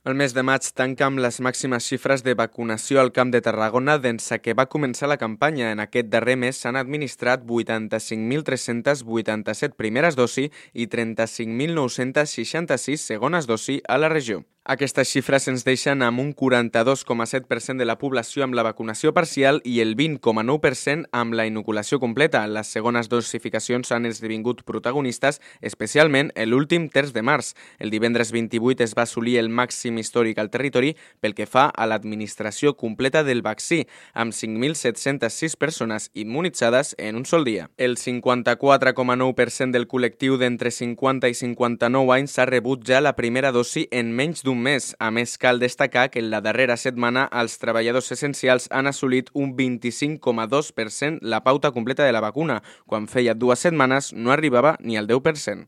El mes de maig tanca amb les màximes xifres de vacunació al Camp de Tarragona d'ençà que va començar la campanya. En aquest darrer mes s'han administrat 85.387 primeres dosi i 35.966 segones dosi a la regió. Aquestes xifres ens deixen amb un 42,7% de la població amb la vacunació parcial i el 20,9% amb la inoculació completa. Les segones dosificacions han esdevingut protagonistes, especialment l'últim terç de març. El divendres 28 es va assolir el màxim històric al territori pel que fa a l'administració completa del vaccí, amb 5.706 persones immunitzades en un sol dia. El 54,9% del col·lectiu d'entre 50 i 59 anys ha rebut ja la primera dosi en menys d'un mes. A més, cal destacar que en la darrera setmana els treballadors essencials han assolit un 25,2% la pauta completa de la vacuna, quan feia 2 setmanes no arribava ni al 10%.